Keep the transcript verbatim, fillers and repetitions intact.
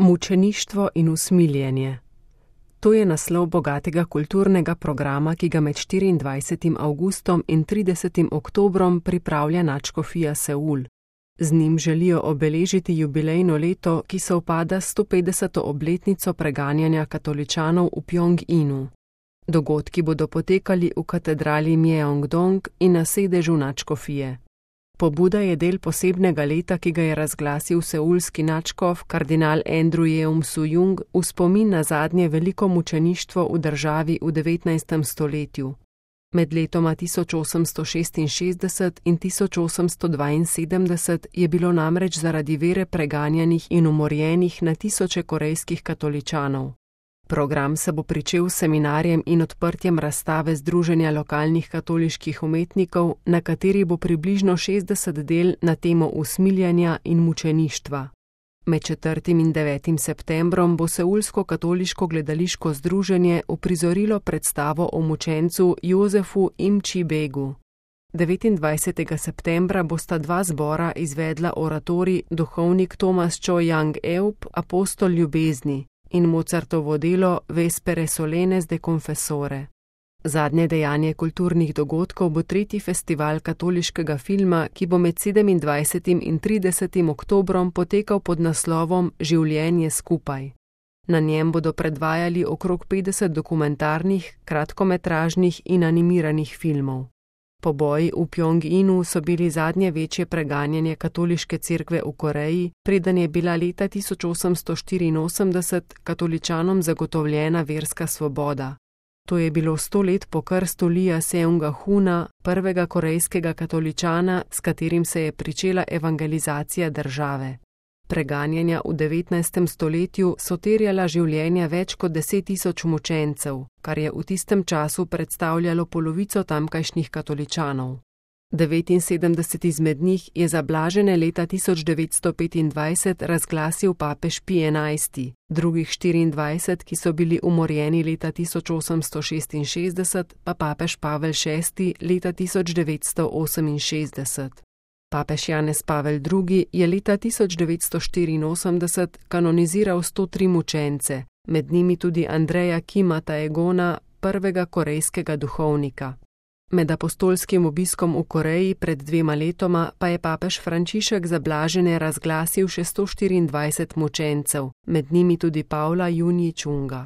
Mučeništvo in usmiljenje. To je naslov bogatega kulturnega programa, ki ga med štiriindvajsetim avgustom in tridesetim oktobrom pripravlja nadškofija Seul. Z njim želijo obeležiti jubilejno leto, ki sovpada s stopetdeseto obletnico preganjanja katoličanov v Pjonginu. Dogodki bodo potekali v katedrali Mjeongdong in na sedežu nadškofije. Pobuda je del posebnega leta, ki ga je razglasil seulski nadškof kardinal Andrew Yeum Sujung v spomin na zadnje veliko mučeništvo v državi v devetnajstem stoletju. Med letoma tisoč osemsto šestinšestdeset in tisoč osemsto dvainsedemdeset je bilo namreč zaradi vere preganjanih in umorjenih na tisoče korejskih katoličanov. Program se bo pričel s seminarjem in odprtjem razstave Združenja lokalnih katoliških umetnikov, na kateri bo približno šestdeset del na temo usmiljenja in mučeništva. Med četrtim in devetim septembrom bo Seulsko katoliško gledališko združenje uprizorilo predstavo o mučencu Jozefu Im-chi-begu. devetindvajsetega septembra bosta dva zbora izvedla oratorij Duhovnik Thomas Cho-Yang-eup, Apostol ljubezni, in Mozartovo delo Vespere solenes de confessore. Zadnje dejanje kulturnih dogodkov bo tretji festival katoliškega filma, ki bo med sedemindvajsetim in tridesetim oktobrom potekal pod naslovom Življenje skupaj. Na njem bodo predvajali okrog petdeset dokumentarnih, kratkometražnih in animiranih filmov. Poboji v Pjonginu so bili zadnje večje preganjanje katoliške cerkve v Koreji, preden je bila leta tisoč osemsto štiriinosemdeset katoličanom zagotovljena verska svoboda. To je bilo sto let po krstu Lija Seunga-huna, prvega korejskega katoličana, s katerim se je pričela evangelizacija države. Preganjanja v devetnajstem stoletju so terjala življenja več kot deset tisoč mučencev, kar je v tistem času predstavljalo polovico tamkajšnjih katoličanov. devetinsedemdeset izmed njih je za blažene leta tisoč devetsto petindvajset razglasil papež Pij enajsti, drugih štiriindvajset, ki so bili umorjeni leta tisoč osemsto šestinšestdeset, pa papež Pavel šesti leta tisoč devetsto oseminšestdeset. Papež Janez Pavel drugi je leta tisoč devetsto štiriinosemdeset kanoniziral sto tri mučence, med njimi tudi Andreja Kima Taegona, prvega korejskega duhovnika. Med apostolskim obiskom v Koreji pred dvema letoma pa je papež Frančišek za blažene razglasil še sto štiriindvajset mučencev, med njimi tudi Pavla Junji Čunga.